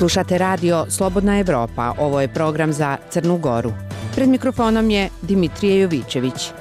Slušate radio Slobodna Evropa, ovo je program za Crnu Goru. Pred mikrofonom je Dimitrije Jovićević.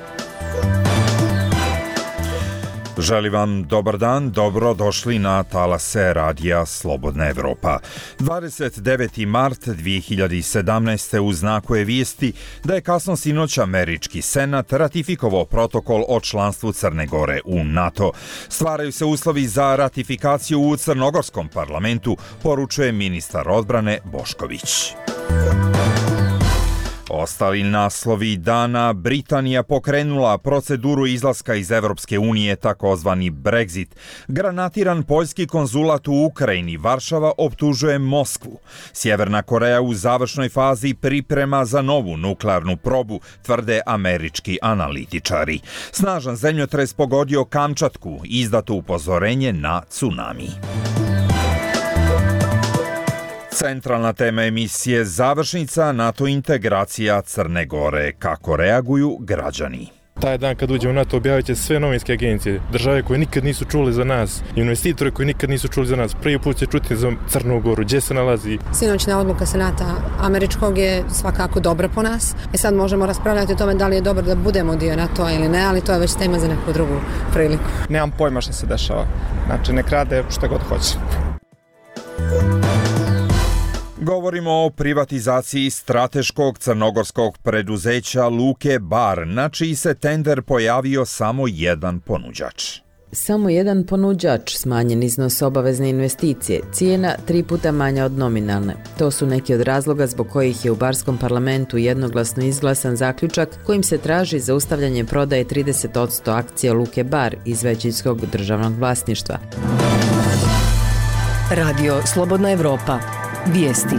Želim vam dobar dan, dobro došli na talase radija Slobodna Evropa. 29. mart 2017. u znaku je vijesti da je kasno sinoć američki senat ratifikovao protokol o članstvu Crne Gore u NATO. Stvaraju se uslovi za ratifikaciju u crnogorskom parlamentu, poručuje ministar odbrane Bošković. Ostali naslovi dana: Britanija pokrenula proceduru izlaska iz Evropske unije, takozvani Brexit. Granatiran poljski konzulat u Ukrajini, Varšava optužuje Moskvu. Sjeverna Koreja u završnoj fazi priprema za novu nuklearnu probu, tvrde američki analitičari. Snažan zemljotres pogodio Kamčatku, izdato upozorenje na tsunami. Centralna tema emisije završnica NATO integracija Crne Gore. Kako reaguju građani? Taj dan kad uđemo u NATO objavit će sve novinske agencije, države koje nikad nisu čuli za nas, investitore koji nikad nisu čuli za nas. Prvi put će čuti za Crnu Goru, gdje se nalazi. Sinoćna odluka Senata američkog je svakako dobra po nas. Sad možemo raspravljati o tome da li je dobro da budemo dio NATO-a ili ne, ali to je već tema za neku drugu priliku. Nemam pojma što se dešava. Znači, nek rade šta god hoće. Govorimo o privatizaciji strateškog crnogorskog preduzeća Luke Bar, na čiji se tender pojavio samo jedan ponuđač. Samo jedan ponuđač, smanjen iznos obavezne investicije, cijena 3 puta manja od nominalne. To su neki od razloga zbog kojih je u barskom parlamentu jednoglasno izglasan zaključak kojim se traži zaustavljanje prodaje 30% akcija Luke Bar iz većinskog državnog vlasništva. Radio Slobodna Evropa. Vijesti.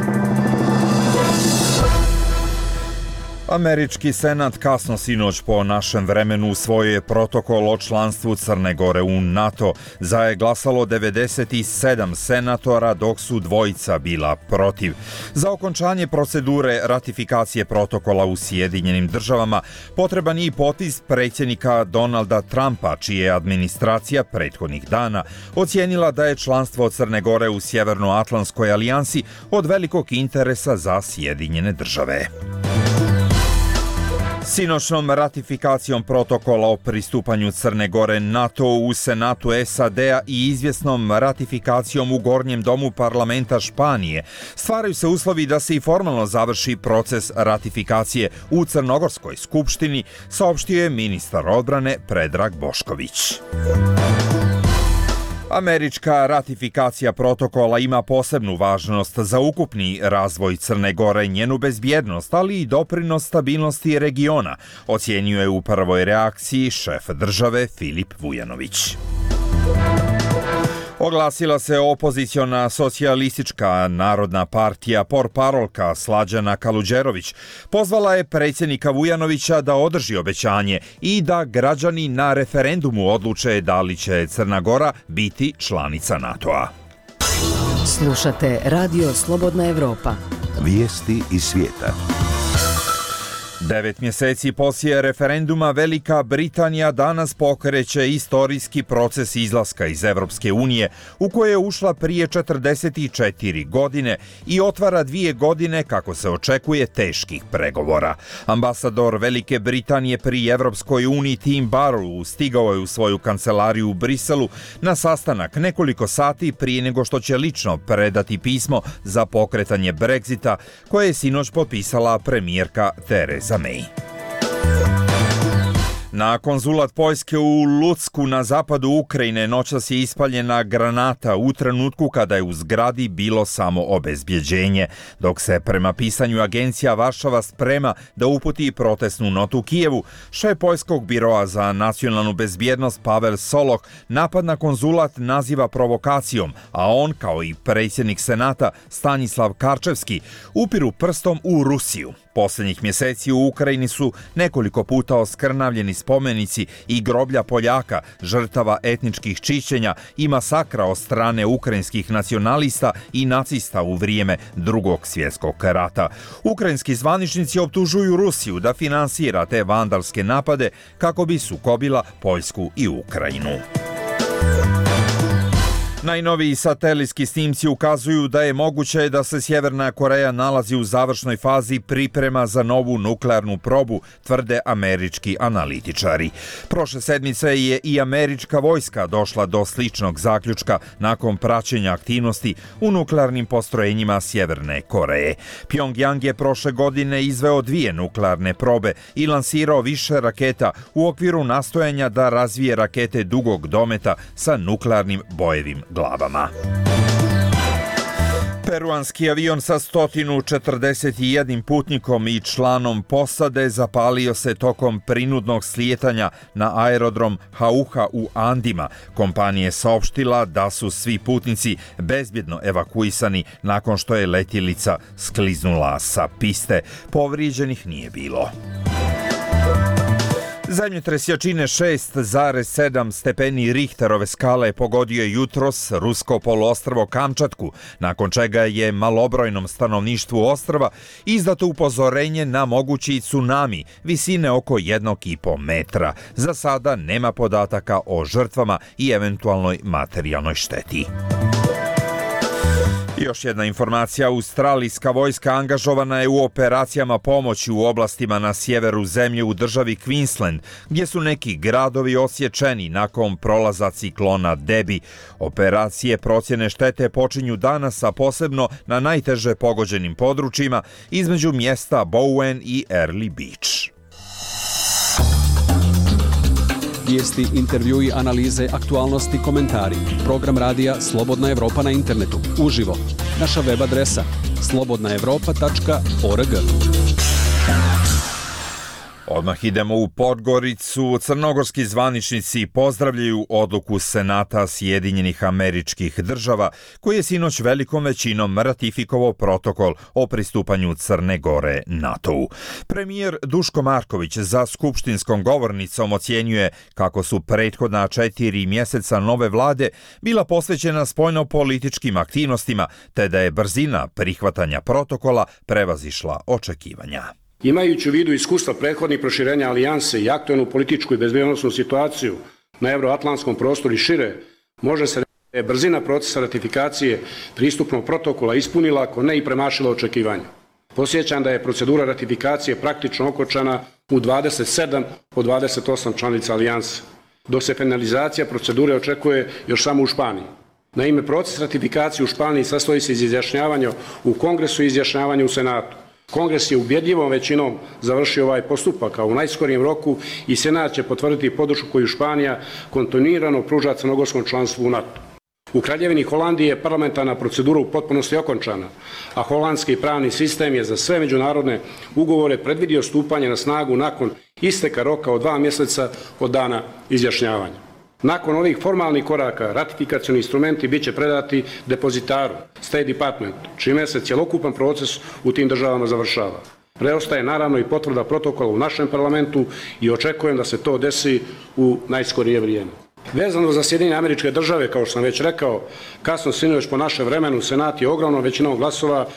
Američki senat kasno sinoć po našem vremenu usvojio je protokol o članstvu Crne Gore u NATO. Za je glasalo 97 senatora, dok su dvojica bila protiv. Za okončanje procedure ratifikacije protokola u Sjedinjenim državama potreban je i potpis predsjednika Donalda Trumpa, čija je administracija prethodnih dana ocijenila da je članstvo Crne Gore u Sjevernoatlantskoj alijansi od velikog interesa za Sjedinjene države. Sinoćnom ratifikacijom protokola o pristupanju Crne Gore NATO u Senatu SAD-a i izvjesnom ratifikacijom u Gornjem domu parlamenta Španije stvaraju se uslovi da se i formalno završi proces ratifikacije u Crnogorskoj skupštini, saopštio je ministar odbrane Predrag Bošković. Američka ratifikacija protokola ima posebnu važnost za ukupni razvoj Crne Gore, njenu bezbjednost, ali i doprinos stabilnosti regiona, ocjenjuje u prvoj reakciji šef države Filip Vujanović. Oglasila se opoziciona socijalistička narodna partija portparolka Slađana Kaluđerović. Pozvala je predsjednika Vujanovića da održi obećanje i da građani na referendumu odluče da li će Crna Gora biti članica NATO-a. Slušate Radio Slobodna Evropa. Vijesti iz svijeta. 9 mjeseci poslije referenduma Velika Britanija danas pokreće istorijski proces izlaska iz Evropske unije u koje je ušla prije 44 godine i otvara 2 godine, kako se očekuje, teških pregovora. Ambasador Velike Britanije pri Evropskoj uniji Tim Barrow stigao je u svoju kancelariju u Briselu na sastanak nekoliko sati prije nego što će lično predati pismo za pokretanje Brexita koje je sinoć potpisala premijerka Theresa May. Na konzulat Poljske u Lucku na zapadu Ukrajine noćas je ispaljena granata u trenutku kada je u zgradi bilo samo obezbjeđenje, dok se prema pisanju agencija Varšava sprema da uputi protestnu notu Kijevu. Šef Poljskog biroa za nacionalnu bezbjednost Pavel Soloch napad na konzulat naziva provokacijom, a on, kao i predsjednik Senata Stanislav Karčevski, upiru prstom u Rusiju. Posljednjih mjeseci u Ukrajini su nekoliko puta oskrnavljeni spomenici i groblja Poljaka, žrtava etničkih čišćenja i masakra od strane ukrajinskih nacionalista i nacista u vrijeme Drugog svjetskog rata. Ukrajinski zvaničnici optužuju Rusiju da finansira te vandalske napade kako bi sukobila Poljsku i Ukrajinu. Najnoviji satelitski snimci ukazuju da je moguće da se Sjeverna Koreja nalazi u završnoj fazi priprema za novu nuklearnu probu, tvrde američki analitičari. Prošle sedmice je i američka vojska došla do sličnog zaključka nakon praćenja aktivnosti u nuklearnim postrojenjima Sjeverne Koreje. Pjongjang je prošle godine izveo 2 nuklearne probe i lansirao više raketa u okviru nastojanja da razvije rakete dugog dometa sa nuklearnim bojevim glavama. Peruanski avion sa 141 putnikom i članom posade zapalio se tokom prinudnog slijetanja na aerodrom Jauja u Andima. Kompanija je saopštila da su svi putnici bezbjedno evakuisani nakon što je letjelica skliznula sa piste. Povrijeđenih nije bilo. Zemljotres jačine 6,7 stepeni Richterove skale pogodio je jutros rusko poluostrvo Kamčatku, nakon čega je malobrojnom stanovništvu ostrva izdato upozorenje na mogući tsunami visine oko 1,5 metra. Za sada nema podataka o žrtvama i eventualnoj materijalnoj šteti. Još jedna informacija, australijska vojska angažovana je u operacijama pomoći u oblastima na sjeveru zemlje u državi Queensland, gdje su neki gradovi osječeni nakon prolaza ciklona Debi. Operacije procjene štete počinju danas, a posebno na najteže pogođenim područjima između mjesta Bowen i Early Beach. Vijesti, intervjui, analize, aktualnosti, komentari. Program radija Slobodna Evropa na internetu. Uživo. Naša web adresa slobodnaevropa.org. Odmah idemo u Podgoricu. Crnogorski zvaničnici pozdravljaju odluku Senata Sjedinjenih Američkih Država, koji je sinoć velikom većinom ratifikovao protokol o pristupanju Crne Gore NATO-u. Premijer Duško Marković za skupštinskom govornicom ocjenjuje kako su prethodna 4 mjeseca nove vlade bila posvećena spoljnopolitičkim aktivnostima, te da je brzina prihvatanja protokola prevazišla očekivanja. Imajući u vidu iskustva prethodnih proširenja alijanse i aktualnu političku i bezbednosnu situaciju na euroatlantskom prostoru i šire, može se reći da je brzina procesa ratifikacije pristupnog protokola ispunila, ako ne i premašila očekivanja. Podsjećam da je procedura ratifikacije praktično okončana u 27 od 28 članica alijanse, dok se finalizacija procedure očekuje još samo u Španiji. Naime, proces ratifikacije u Španiji sastoji se iz izjašnjavanja u Kongresu i izjašnjavanja u Senatu. Kongres je ubjedljivom većinom završio ovaj postupak, a u najskorijem roku i Senat će potvrditi podršku koju Španija kontinuirano pruža crnogorskom članstvu u NATO. U Kraljevini Holandije je parlamentarna procedura u potpunosti okončana, a holandski pravni sistem je za sve međunarodne ugovore predvidio stupanje na snagu nakon isteka roka od 2 mjeseca od dana izjašnjavanja. Nakon ovih formalnih koraka, ratifikacioni instrumenti bit će predati depozitaru, State Department, čime se cjelokupan proces u tim državama završava. Preostaje naravno i potvrda protokola u našem parlamentu i očekujem da se to desi u najskorije vrijeme. Vezano za Sjedinjene Američke Države, kao što sam već rekao, kasno sinoć po našem vremenu, Senat je ogromnom većinom glasova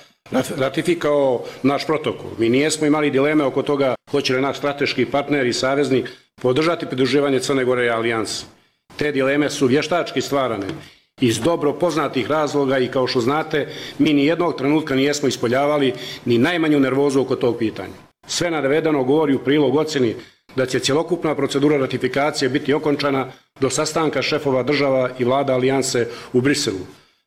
ratifikao naš protokol. Mi nijesmo imali dileme oko toga hoće li naš strateški partner i saveznik podržati pridruživanje Crne Gore i alijanse. Te dileme su vještački stvarane iz dobro poznatih razloga i kao što znate, mi ni jednog trenutka nijesmo ispoljavali ni najmanju nervozu oko tog pitanja. Sve navedeno govori u prilog ocjeni da će cjelokupna procedura ratifikacije biti okončana do sastanka šefova država i vlada alijanse u Briselu.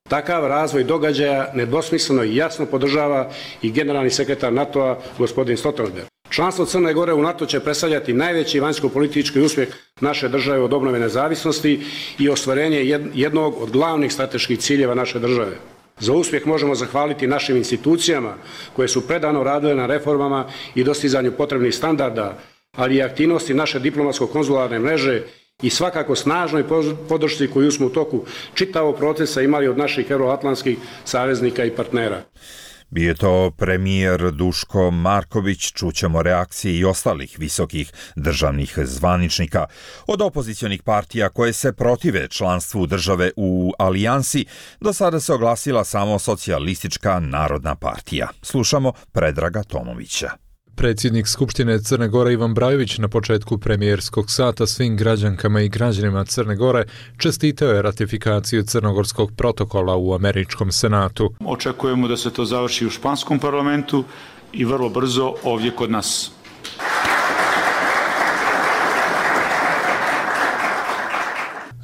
Takav razvoj događaja nedvosmisleno i jasno podržava i generalni sekretar NATO-a gospodin Stoltenberg. Članstvo Crne Gore u NATO će predstavljati najveći vanjsko-politički uspjeh naše države od obnove nezavisnosti i ostvarenje jednog od glavnih strateških ciljeva naše države. Za uspjeh možemo zahvaliti našim institucijama koje su predano radile na reformama i dostizanju potrebnih standarda, ali i aktivnosti naše diplomatsko-konzularne mreže i svakako snažnoj podršci koju smo u toku čitavog procesa imali od naših euroatlantskih saveznika i partnera. Bio je to premijer Duško Marković. Čućemo reakcije i ostalih visokih državnih zvaničnika. Od opozicionih partija koje se protive članstvu države u alijansi, do sada se oglasila samo Socijalistička narodna partija. Slušamo Predraga Tomovića. Predsjednik Skupštine Crne Gore Ivan Brajović na početku premijerskog sata svim građankama i građanima Crne Gore čestitao je ratifikaciju crnogorskog protokola u Američkom senatu. Očekujemo da se to završi u španskom parlamentu i vrlo brzo ovdje kod nas.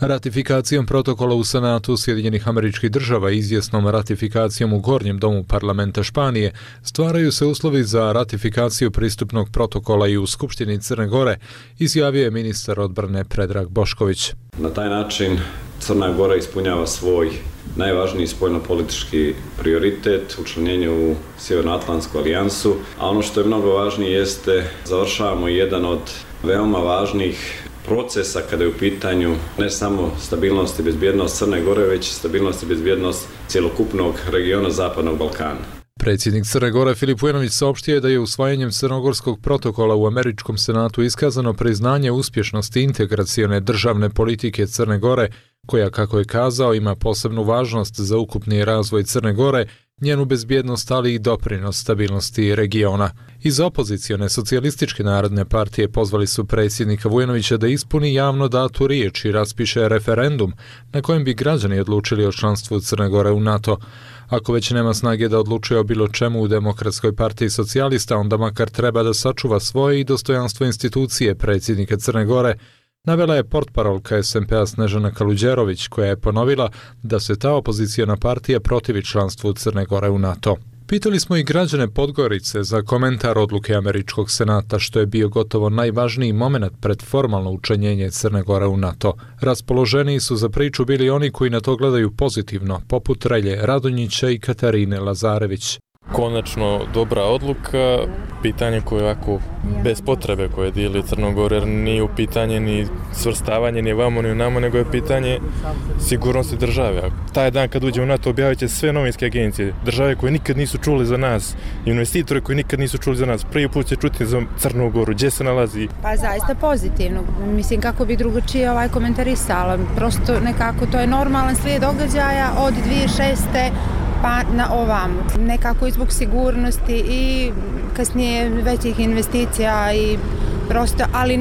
Ratifikacijom protokola u Senatu Sjedinjenih Američkih Država i izvjesnom ratifikacijom u Gornjem domu parlamenta Španije stvaraju se uslovi za ratifikaciju pristupnog protokola i u Skupštini Crne Gore, izjavio je ministar odbrane Predrag Bošković. Na taj način Crna Gora ispunjava svoj najvažniji spoljnopolitički prioritet, učlanjenje u Sjevernoatlantsku alijansu, a ono što je mnogo važnije jeste završavamo jedan od veoma važnih procesa kada je u pitanju ne samo stabilnost i bezbjednost Crne Gore, već i stabilnost i bezbjednost cjelokupnog regiona Zapadnog Balkana. Predsjednik Crne Gore Filip Vujanović saopštio je da je usvajanjem crnogorskog protokola u Američkom senatu iskazano priznanje uspješnosti integracione državne politike Crne Gore, koja, kako je kazao, ima posebnu važnost za ukupni razvoj Crne Gore, njenu bezbjednost, ali i doprinos stabilnosti regiona. Iz opozicione socijalističke narodne partije pozvali su predsjednika Vujanovića da ispuni javno datu riječ i raspiše referendum na kojem bi građani odlučili o članstvu Crne Gore u NATO. Ako već nema snage da odlučuje o bilo čemu u Demokratskoj partiji socijalista, onda makar treba da sačuva svoje i dostojanstvo institucije predsjednika Crne Gore, navela je portparolka SMP-a Snežana Kaluđerović, koja je ponovila da se ta opoziciona partija protivi članstvu Crne Gore u NATO. Pitali smo i građane Podgorice za komentar odluke Američkog senata, što je bio gotovo najvažniji moment pred formalno učlanjenje Crne Gore u NATO. Raspoloženiji su za priču bili oni koji na to gledaju pozitivno, poput Relje Radonjića i Katarine Lazarević. Konačno dobra odluka, pitanje koje ovako bez potrebe koje dijeli Crnogoru, jer nije u pitanje ni svrstavanje ni vamo ni namo, nego je pitanje sigurnosti države. Taj dan kad uđemo u NATO objavit će sve novinske agencije, države koje nikad nisu čuli za nas, investitore koji nikad nisu čuli za nas, prvi put će čuti za Crnu Goru, gdje se nalazi. Pa zaista pozitivno, mislim kako bi drugačije komentarisala, prosto nekako to je normalan slijed događaja od 2006. pa na ovamo. Nekako i zbog sigurnosti i kasnije većih investicija i prosto, ali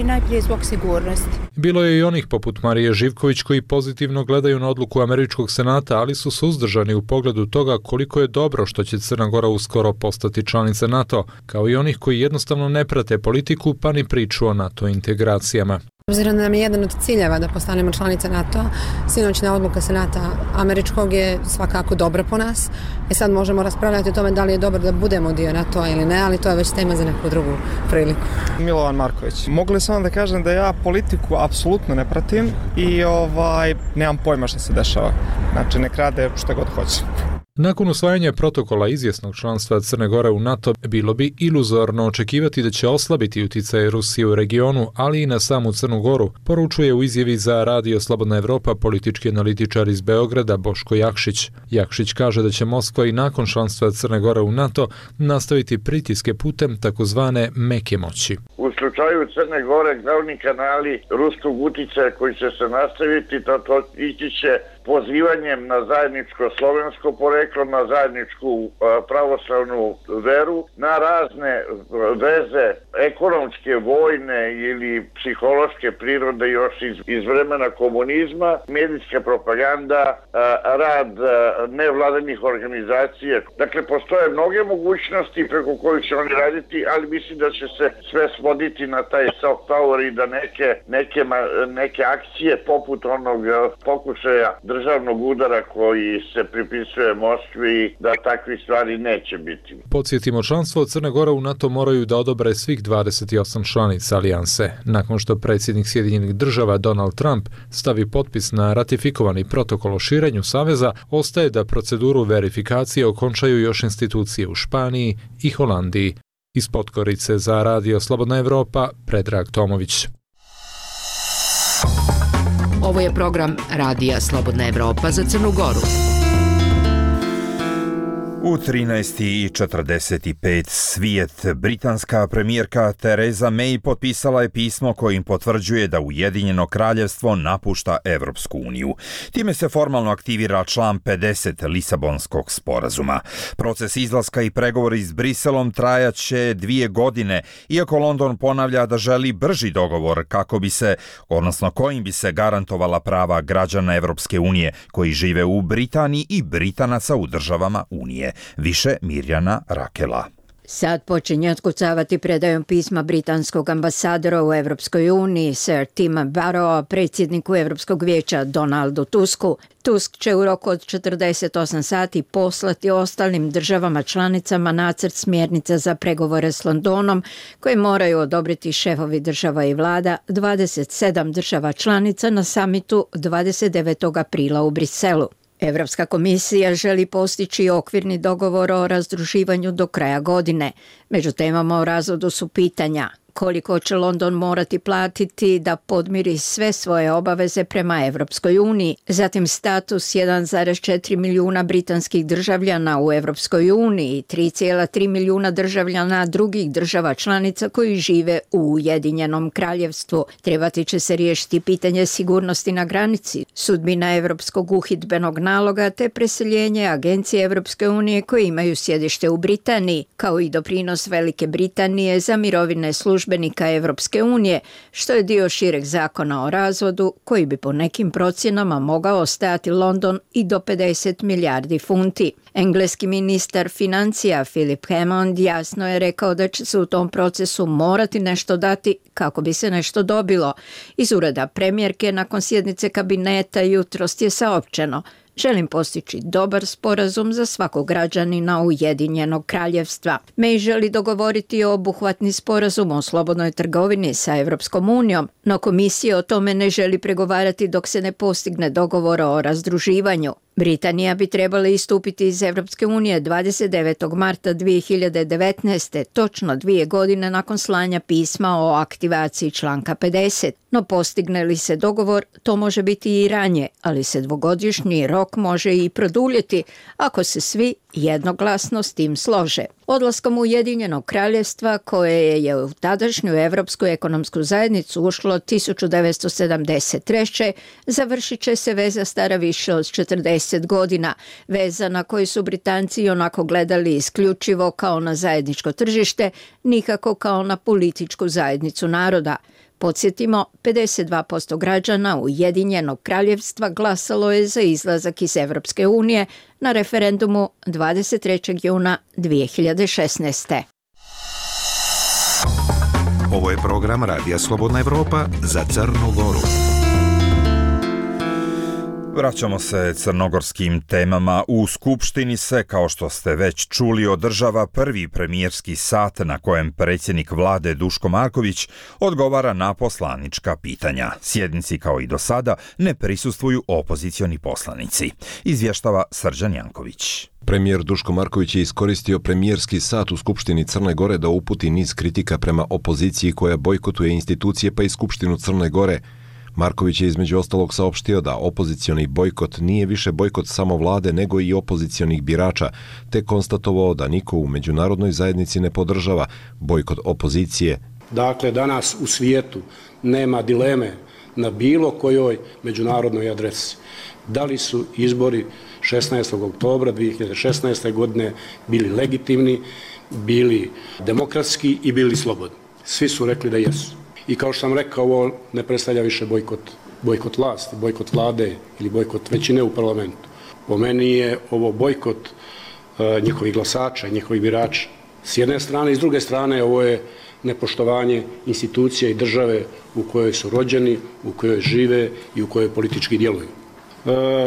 najprije zbog sigurnosti. Bilo je i onih poput Marije Živković koji pozitivno gledaju na odluku Američkog senata, ali su suzdržani u pogledu toga koliko je dobro što će Crna Gora uskoro postati članica NATO, kao i onih koji jednostavno ne prate politiku pa ni priču o NATO integracijama. Obzirom da nam je jedan od ciljeva da postanemo članica NATO-a, sinoćna odluka Senata Američkog je svakako dobra po nas. Sad možemo raspravljati o tome da li je dobro da budemo dio NATO-a ili ne, ali to je već tema za neku drugu priliku. Milovan Marković. Mogu li samo da kažem da ja politiku apsolutno ne pratim i nemam pojma što se dešava. Znači, nek rade šta god hoće. Nakon usvajanja protokola izvjesnog članstva Crne Gore u NATO, bilo bi iluzorno očekivati da će oslabiti utjecaj Rusije u regionu, ali i na samu Crnu Goru, poručuje u izjavi za Radio Slobodna Evropa politički analitičar iz Beograda Boško Jakšić. Jakšić kaže da će Moskva i nakon članstva Crne Gore u NATO nastaviti pritiske putem takozvane meke moći. U slučaju Crne Gore glavni kanali ruskog uticaja koji će se nastaviti, to ići će pozivanjem na zajedničko slovensko poreklo, na zajedničku pravoslavnu veru, na razne veze ekonomske, vojne ili psihološke prirode još iz vremena komunizma, medijska propaganda, rad nevladanih organizacija. Dakle, postoje mnoge mogućnosti preko kojih će oni raditi, ali mislim da će se sve svoditi na taj soft power i da neke akcije poput onog pokušaja državnog udara koji se pripisuje Moskvi, da takvih stvari neće biti. Podsjetimo, članstvo Crne Gore u NATO moraju da odobre svih 28 članica alijanse. Nakon što predsjednik Sjedinjenih Država Donald Trump stavi potpis na ratifikovani protokol o širenju saveza, ostaje da proceduru verifikacije okončaju još institucije u Španiji i Holandiji. Iz Podgorice za Radio Slobodna Evropa, Predrag Tomović. Ovo je program Radija Slobodna Evropa za Crnu Goru. U 13:45 svijet, britanska premijerka Theresa May potpisala je pismo kojim potvrđuje da Ujedinjeno kraljevstvo napušta Evropsku uniju. Time se formalno aktivira član 50 Lisabonskog sporazuma. Proces izlaska i pregovori s Briselom trajaće 2 godine, iako London ponavlja da želi brži dogovor kojim bi se garantovala prava građana Evropske unije koji žive u Britaniji i Britanaca u državama Unije. Više Mirjana Rakela. Sad počinje otkucavati predajom pisma britanskog ambasadora u Evropskoj uniji, Sir Tima Barrowa, predsjedniku Evropskog vijeća Donaldu Tusku. Tusk će u roku od 48 sati poslati ostalim državama članicama nacrt smjernica za pregovore s Londonom, koje moraju odobriti šefovi država i vlada 27 država članica na samitu 29. aprila u Briselu. Evropska komisija želi postići okvirni dogovor o razdruživanju do kraja godine. Među temama o razvodu su pitanja: koliko će London morati platiti da podmiri sve svoje obaveze prema Evropskoj uniji, zatim status 1,4 milijuna britanskih državljana u Evropskoj uniji, 3,3 milijuna državljana drugih država članica koji žive u Ujedinjenom kraljevstvu. Trebati će se riješiti pitanje sigurnosti na granici, sudbina Evropskog uhidbenog naloga te preseljenje agencije Evropske unije koje imaju sjedište u Britaniji, kao i doprinos Velike Britanije za mirovine službenika Evropske unije, što je dio šireg zakona o razvodu koji bi po nekim procjenama mogao stajati London i do 50 milijardi funti. Engleski ministar financija Philip Hammond jasno je rekao da će se u tom procesu morati nešto dati kako bi se nešto dobilo. Iz ureda premijerke nakon sjednice kabineta jutros je saopćeno: želim postići dobar sporazum za svakog građanina Ujedinjenog kraljevstva. May želi dogovoriti obuhvatni sporazum o slobodnoj trgovini sa Evropskom unijom, no komisija o tome ne želi pregovarati dok se ne postigne dogovor o razdruživanju. Britanija bi trebala istupiti iz Evropske unije 29. marta 2019. točno 2 godine nakon slanja pisma o aktivaciji članka 50. No postigne li se dogovor, to može biti i ranije, ali se dvogodišnji rok može i produljiti ako se svi jednoglasno s tim slože. Odlaskom Ujedinjenog kraljevstva, koje je u tadašnju Evropsku ekonomsku zajednicu ušlo 1973. završit će se veza stara više od 40 godina, veza na koju su Britanci onako gledali isključivo kao na zajedničko tržište, nikako kao na političku zajednicu naroda. Podsjetimo, 52% građana Ujedinjenog kraljevstva glasalo je za izlazak iz Evropske unije na referendumu 23. juna 2016. Ovo je program Radija Slobodna Evropa za Crnu Goru. Vraćamo se crnogorskim temama. U Skupštini se, kao što ste već čuli, održava prvi premijerski sat na kojem predsjednik vlade Duško Marković odgovara na poslanička pitanja. Sjednici, kao i do sada, ne prisustvuju opozicioni poslanici. Izvještava Srđan Janković. Premijer Duško Marković je iskoristio premijerski sat u Skupštini Crne Gore da uputi niz kritika prema opoziciji koja bojkotuje institucije pa i Skupštinu Crne Gore. Marković je između ostalog saopštio da opozicioni bojkot nije više bojkot samo vlade nego i opozicionih birača, te konstatovao da niko u međunarodnoj zajednici ne podržava bojkot opozicije. Dakle, danas u svijetu nema dileme na bilo kojoj međunarodnoj adresi. Da li su izbori 16. oktobra 2016. godine bili legitimni, bili demokratski i bili slobodni. Svi su rekli da jesu. I kao što sam rekao, ovo ne predstavlja više bojkot vlasti, bojkot vlade ili bojkot većine u parlamentu. Po meni je ovo bojkot njihovih glasača, njihovih birača. S jedne strane i s druge strane ovo je nepoštovanje institucija i države u kojoj su rođeni, u kojoj žive i u kojoj politički djeluju.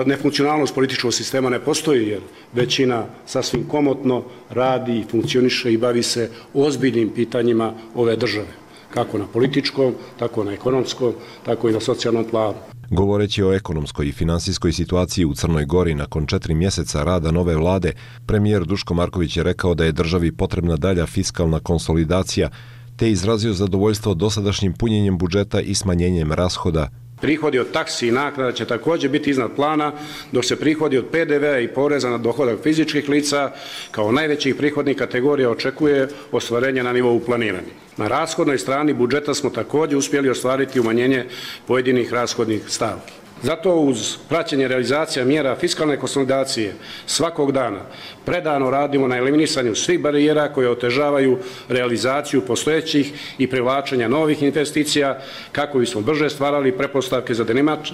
Nefunkcionalnost političkog sistema ne postoji jer većina sasvim komotno radi i funkcioniše i bavi se ozbiljnim pitanjima ove države. Kako na političkom, tako na ekonomskom, tako i na socijalnom planu. Govoreći o ekonomskoj i finansijskoj situaciji u Crnoj Gori nakon 4 mjeseca rada nove vlade, premijer Duško Marković je rekao da je državi potrebna dalja fiskalna konsolidacija, te izrazio zadovoljstvo dosadašnjim punjenjem budžeta i smanjenjem rashoda. Prihodi od taksi i naknada će također biti iznad plana, dok se prihodi od PDV-a i poreza na dohodak fizičkih lica kao najvećih prihodnih kategorija očekuje ostvarenje na nivou planiranih. Na rashodnoj strani budžeta smo također uspjeli ostvariti umanjenje pojedinih rashodnih stavki. Zato uz praćenje realizacija mjera fiskalne konsolidacije svakog dana predano radimo na eliminisanju svih barijera koje otežavaju realizaciju postojećih i privlačenja novih investicija kako bismo brže stvarali pretpostavke za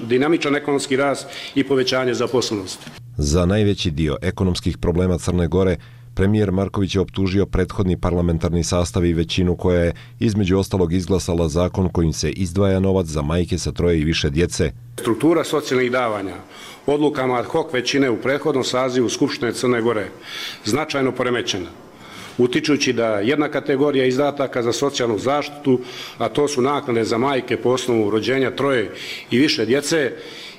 dinamičan ekonomski rast i povećanje zaposlenosti. Za najveći dio ekonomskih problema Crne Gore premijer Marković je optužio prethodni parlamentarni sastav i većinu koja je između ostalog izglasala zakon kojim se izdvaja novac za majke sa 3 i više djece. Struktura socijalnih davanja odlukama ad hoc većine u prethodnom sazivu Skupštine Crne Gore značajno poremećena, utičući da jedna kategorija izdataka za socijalnu zaštitu, a to su naknade za majke po osnovu rođenja 3 i više djece,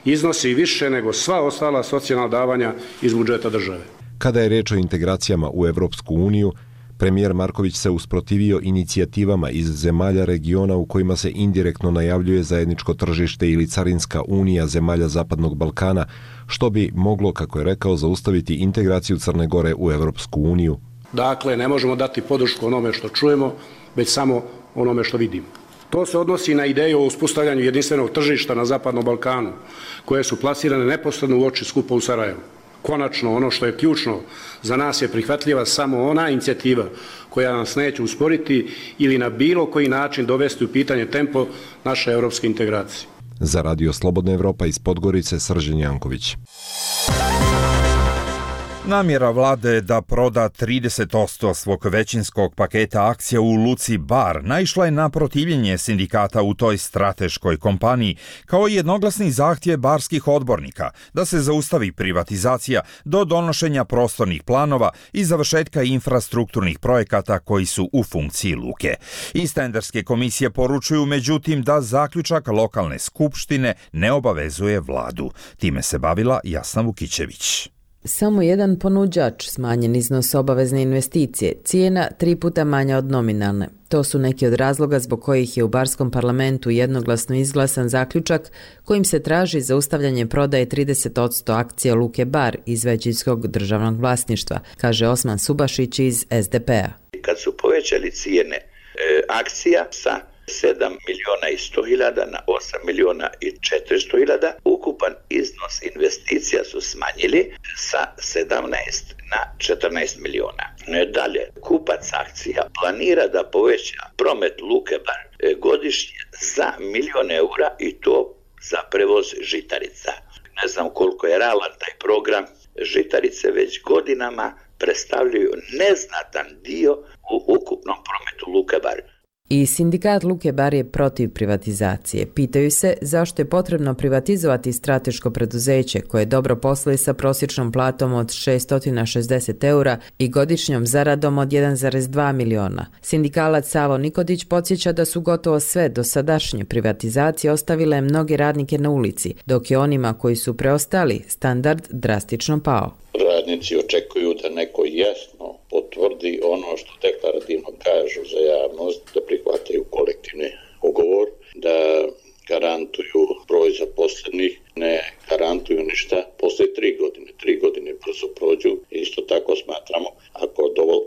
iznosi više nego sva ostala socijalna davanja iz budžeta države. Kada je reč o integracijama u Evropsku uniju, premijer Marković se usprotivio inicijativama iz zemalja regiona u kojima se indirektno najavljuje zajedničko tržište ili carinska unija zemalja Zapadnog Balkana, što bi moglo, kako je rekao, zaustaviti integraciju Crne Gore u Evropsku uniju. Dakle, ne možemo dati podršku onome što čujemo, već samo onome što vidimo. To se odnosi na ideju o uspostavljanju jedinstvenog tržišta na Zapadnom Balkanu, koje su plasirane neposredno u oči skupa u Sarajevu. Konačno, ono što je ključno, za nas je prihvatljiva samo ona inicijativa koja nas neće usporiti ili na bilo koji način dovesti u pitanje tempo naše evropske integracije. Za Radio Slobodna Evropa iz Podgorice, Srđan Janković. Namjera vlade je da proda 30% svog većinskog paketa akcija u Luci Bar naišla je na protivljenje sindikata u toj strateškoj kompaniji, kao i jednoglasni zahtjev barskih odbornika da se zaustavi privatizacija do donošenja prostornih planova i završetka infrastrukturnih projekata koji su u funkciji luke. Iz tenderske komisije poručuju međutim da zaključak lokalne skupštine ne obavezuje vladu. Time se bavila Jasna Vukićević. Samo jedan ponuđač, smanjen iznos obavezne investicije, cijena 3 puta manja od nominalne. To su neki od razloga zbog kojih je u barskom parlamentu jednoglasno izglasan zaključak kojim se traži zaustavljanje prodaje 30% akcija Luke Bar iz većinskog državnog vlasništva, kaže Osman Subašić iz SDP-a. Kad su povećali cijene akcija sa 7.100.000 na 8.400.000, ukupan iznos investicija su smanjili sa 17 na 14 milijuna. Dalje, kupac akcija planira da poveća promet Luke Bar godišnje za 1.000.000 eura i to za prevoz žitarica. Ne znam koliko je realan taj program, žitarice već godinama predstavljaju neznatan dio u ukupnom prometu Luke Bar. I sindikat Luke Bar je protiv privatizacije. Pitaju se zašto je potrebno privatizovati strateško preduzeće koje dobro posluje sa prosječnom platom od 660 eura i godišnjom zaradom od 1,2 miliona. Sindikalac Savo Nikodić podsjeća da su gotovo sve dosadašnje privatizacije ostavile mnoge radnike na ulici, dok je onima koji su preostali standard drastično pao. Radnici očekuju da neko jasno potvrdi ono što deklarativno kažu za javnost, da prihvataju kolektivni ugovor, da garantuju broj zaposlenih, ne garantuju ništa posle 3 godine. 3 godine brzo prođu. Isto tako smatramo, ako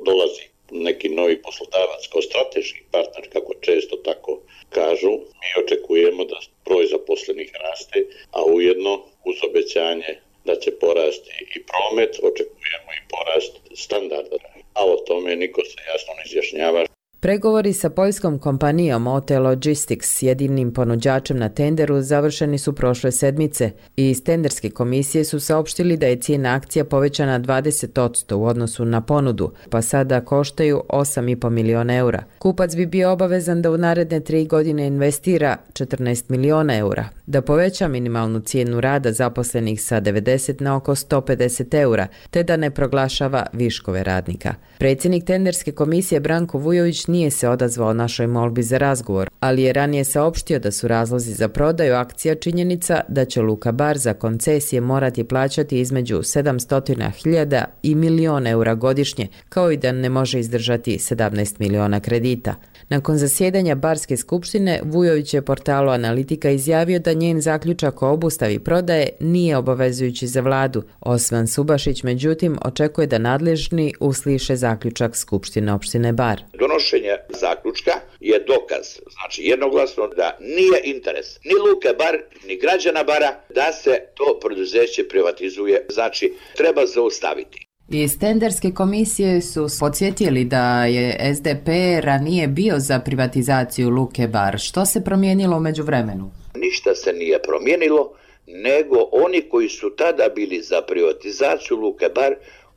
dolazi neki novi poslodavac kao strateški partner, kako često tako kažu, mi očekujemo da broj zaposlenih raste, a ujedno uz obećanje da će porasti i promet, očekujemo i porast standarda. A o tome niko se jasno ne izjašnjava. Pregovori sa poljskom kompanijom OT Logistics, jedinim ponuđačem na tenderu, završeni su prošle sedmice i iz tenderske komisije su saopštili da je cijena akcija povećana 20% u odnosu na ponudu, pa sada koštaju 8,5 miliona eura. Kupac bi bio obavezan da u naredne 3 godine investira 14 miliona eura, da poveća minimalnu cijenu rada zaposlenih sa 90 na oko 150 eura, te da ne proglašava viškove radnika. Predsjednik tenderske komisije Branko Vujović nije se odazvao našoj molbi za razgovor. ali je ranije saopštio da su razlozi za prodaju akcija činjenica da će Luka Bar za koncesije morati plaćati između 700.000 i milion eura godišnje, kao i da ne može izdržati 17 miliona kredita. Nakon zasjedanja Barske skupštine, Vujović je portalu Analitika izjavio da njen zaključak o obustavi prodaje nije obavezujući za vladu. Osman Subašić, međutim, očekuje da nadležni usliše zaključak Skupštine opštine Bar. Donošenje zaključka je dokaz, znači jednoglasno, da nije interes ni Luke Bar, ni građana Bara da se to preduzeće privatizuje, znači treba zaustaviti. Iz tenderske komisije su podsjetili da je SDP ranije bio za privatizaciju Luke Bar. Što se promijenilo u međuvremenu? Ništa se nije promijenilo, nego oni koji su tada bili za privatizaciju Luke Bar,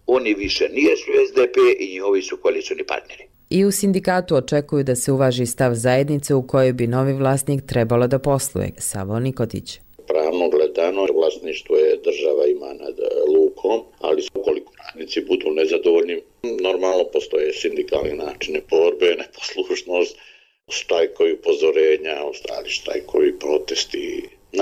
oni više nisu SDP i njihovi su koalicioni partneri. I u sindikatu očekuju da se uvaži stav zajednice u kojoj bi novi vlasnik trebalo da posluje. Savo Nikotić. Pravno gledano, vlasništvo je država ima nad lukom, ali ukoliko radnici budu nezadovoljni, normalno postoje sindikalni načine borbe, neposlušnost, štrajkovi upozorenja, štrajkovi protesti.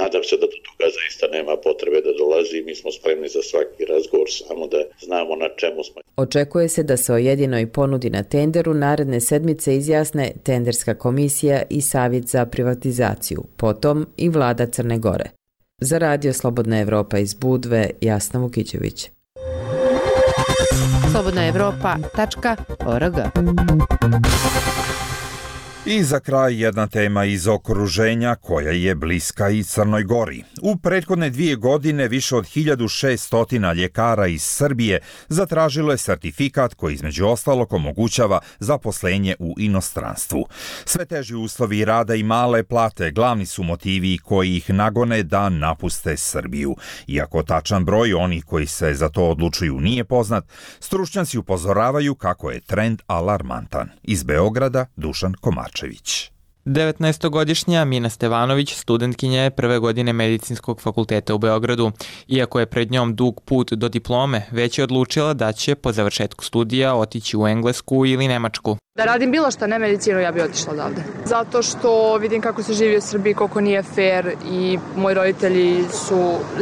Nadam se da do toga zaista nema potrebe da dolazi. Mi smo spremni za svaki razgovor, samo da znamo na čemu smo. Očekuje se da se o jedinoj ponudi na tenderu naredne sedmice izjasne tenderska komisija i Savjet za privatizaciju, potom i vlada Crne Gore. Za Radio Slobodna Evropa iz Budve, Jasna Vukićević. slobodnaevropa.org. I za kraj jedna tema iz okruženja koja je bliska i Crnoj Gori. U prethodne 2 godine više od 1600 ljekara iz Srbije zatražilo je sertifikat koji između ostalog omogućava zaposlenje u inostranstvu. Sve teži uslovi rada i male plate glavni su motivi koji ih nagone da napuste Srbiju. Iako tačan broj onih koji se za to odlučuju nije poznat, stručnjaci upozoravaju kako je trend alarmantan. Iz Beograda Dušan Komar. 19-godišnja Mina Stevanović studentkinja je prve godine medicinskog fakulteta u Beogradu. Iako je pred njom dug put do diplome, već je odlučila da će po završetku studija otići u Englesku ili Nemačku. Da radim bilo što, ne medicinu, ja bih otišla odavde. Zato što vidim kako se živi u Srbiji, koliko nije fair i moji roditelji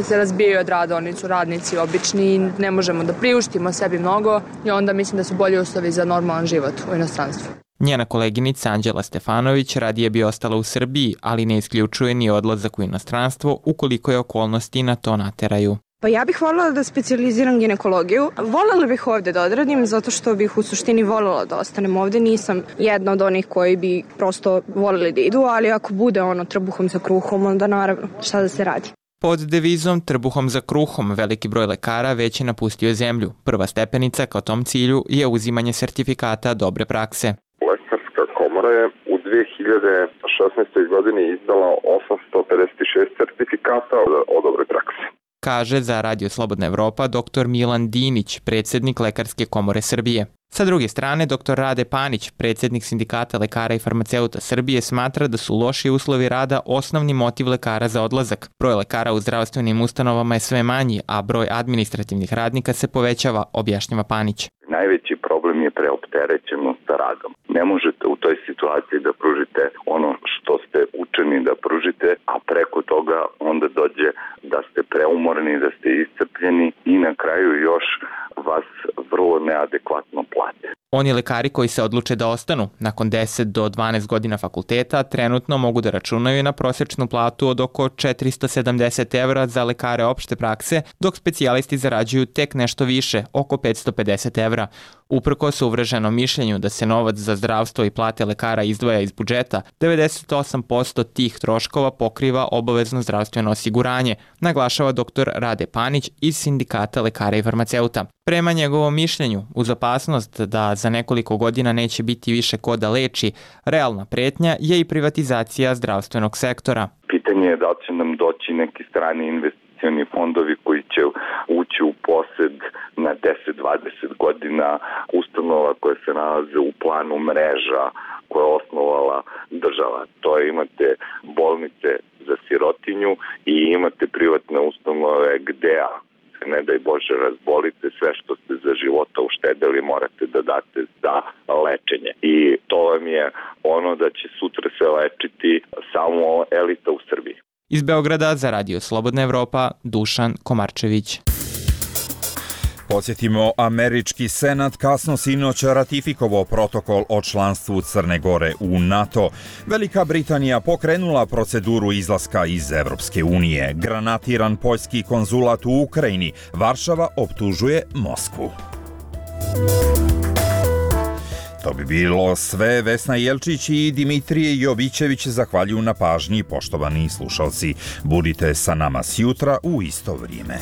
se razbijaju od rada, oni su radnici obični i ne možemo da priuštimo sebi mnogo i onda mislim da su bolji uslovi za normalan život u inostranstvu. Njena koleginica Anđela Stefanović radije bi ostala u Srbiji, ali ne isključuje ni odlazak u inostranstvo ukoliko je okolnosti na to nateraju. Pa ja bih voljela da specijaliziram ginekologiju. Voljela bih ovde da odradim zato što bih u suštini voljela da ostanem ovde. Nisam jedna od onih koji bi prosto voljeli da idu, ali ako bude trbuhom za kruhom, onda naravno šta da se radi. Pod devizom trbuhom za kruhom veliki broj lekara već je napustio zemlju. Prva stepenica ka tom cilju je uzimanje sertifikata dobre prakse. Lekarska komora je u 2016. godini izdala 856 sertifikata o dobre prakse. Kaže za Radio Slobodna Evropa dr. Milan Dinić, predsjednik Lekarske komore Srbije. Sa druge strane, dr. Rade Panić, predsjednik Sindikata lekara i farmaceuta Srbije, smatra da su loši uslovi rada osnovni motiv lekara za odlazak. Broj lekara u zdravstvenim ustanovama je sve manji, a broj administrativnih radnika se povećava, objašnjava Panić. Najveći problem je preopterećenost radom. Ne možete u toj situaciji da pružite ono što ste učeni da pružite, a preko toga onda dođe da ste preumorni, da ste iscrpljeni i na kraju još vas vrlo neadekvatno plate. Oni lekari koji se odluče da ostanu nakon 10 do 12 godina fakulteta trenutno mogu da računaju na prosječnu platu od oko 470 evra za lekare opšte prakse, dok specijalisti zarađuju tek nešto više, oko 550 evra. Uprkos uvreženom mišljenju da se novac za zdravstvo i plate lekara izdvaja iz budžeta, 98% tih troškova pokriva obavezno zdravstveno osiguranje, naglašava dr. Rade Panić iz Sindikata lekara i farmaceuta. Prema njegovom mišljenju, uz opasnost da za nekoliko godina neće biti više ko da leči, realna pretnja je i privatizacija zdravstvenog sektora. Pitanje je da li će nam doći neki strani investicioni fondovi koji će ući u posed na 10-20 godina ustanova koje se nalaze u planu mreža koje je osnovala država. To je, imate bolnice za sirotinju i imate privatne ustanove gde se ne daj Bože razbolite, sve što ste za života uštedeli morate da date za lečenje. I to vam je ono da će sutra se lečiti samo elita u Srbiji. Iz Beograda za Radio Slobodna Evropa, Dušan Komarčević. Podsjetimo, američki senat kasno sinoć ratifikovao protokol o članstvu Crne Gore u NATO. Velika Britanija pokrenula proceduru izlaska iz Evropske unije. Granatiran poljski konzulat u Ukrajini. Varšava optužuje Moskvu. To bi bilo sve. Vesna Jelčić i Dimitrije Jovićević zahvaljuju na pažnji, poštovani slušalci. Budite sa nama sjutra u isto vrijeme.